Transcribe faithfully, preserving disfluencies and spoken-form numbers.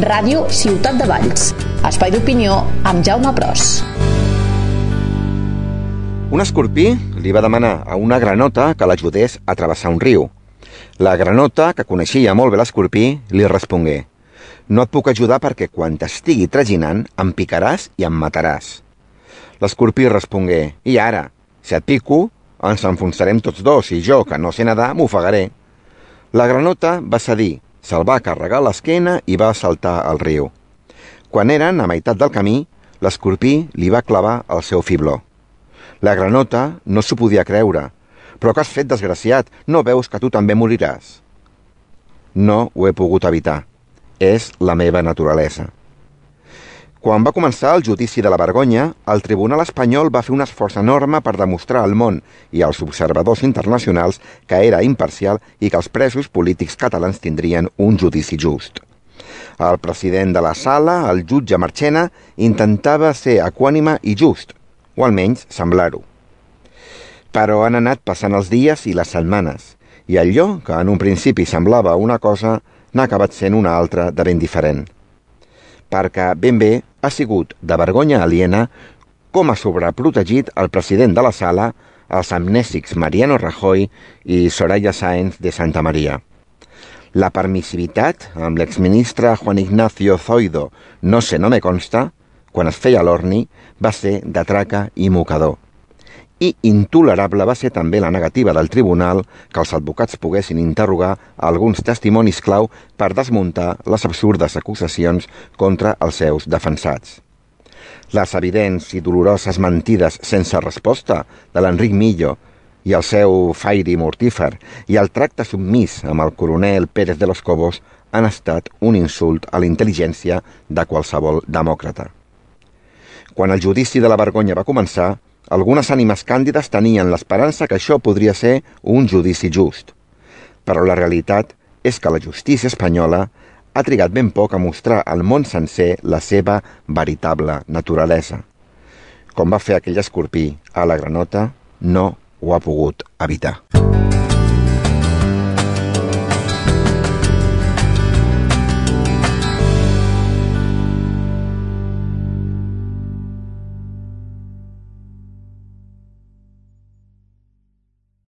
Ràdio Ciutat de Valls. Espai d'opinió amb Jaume Pros. Un escorpí li va demanar a una granota que l'ajudés a travessar un riu. La granota, que coneixia molt bé l'escorpí, li respongué: «No et puc ajudar perquè quan t'estigui traginant em picaràs i em mataràs». L'escorpí respongué: «I ara, si et pico, ens enfonsarem tots dos i jo, que no sé nedar, m'ofegaré». La granota va cedir, se'l va carregar a l'esquena i va saltar al riu. Quan eren a meitat del camí, l'escorpí li va clavar el seu fibló. La granota no s'ho podia creure. «Però què has fet, desgraciat? No veus que tu també moriràs?» «No ho he pogut evitar. És la meva naturalesa». Quan va començar el judici de la vergonya, el Tribunal espanyol va fer un esforç enorme per demostrar al món i als observadors internacionals que era imparcial i que els presos polítics catalans tindrien un judici just. El president de la sala, el jutge Marchena, intentava ser equànime i just, o almenys semblar-ho. Però han anat passant els dies i les setmanes, i allò que en un principi semblava una cosa n'ha acabat sent una altra de ben diferent. Perquè ben bé ha sigut de vergonya aliena com ha sobreprotegit el president de la sala, els amnèsics Mariano Rajoy i Soraya Sáenz de Santa Maria. La permissivitat amb l'exministre Juan Ignacio Zoido, no sé, no me consta, quan es feia l'orni, va ser de traca i mocador. I intolerable va ser també la negativa del tribunal que els advocats poguessin interrogar alguns testimonis clau per desmuntar les absurdes acusacions contra els seus defensats. Les evidents i doloroses mentides sense resposta de l'Enric Millo i el seu fairi mortífer i el tracte submís amb el coronel Pérez de los Cobos han estat un insult a la intel·ligència de qualsevol demòcrata. Quan el judici de la vergonya va començar, algunes ànimes càndides tenien l'esperança que això podria ser un judici just. Però la realitat és que la justícia espanyola ha trigat ben poc a mostrar al món sencer la seva veritable naturalesa. Com va fer aquell escorpí a la granota, no ho ha pogut evitar.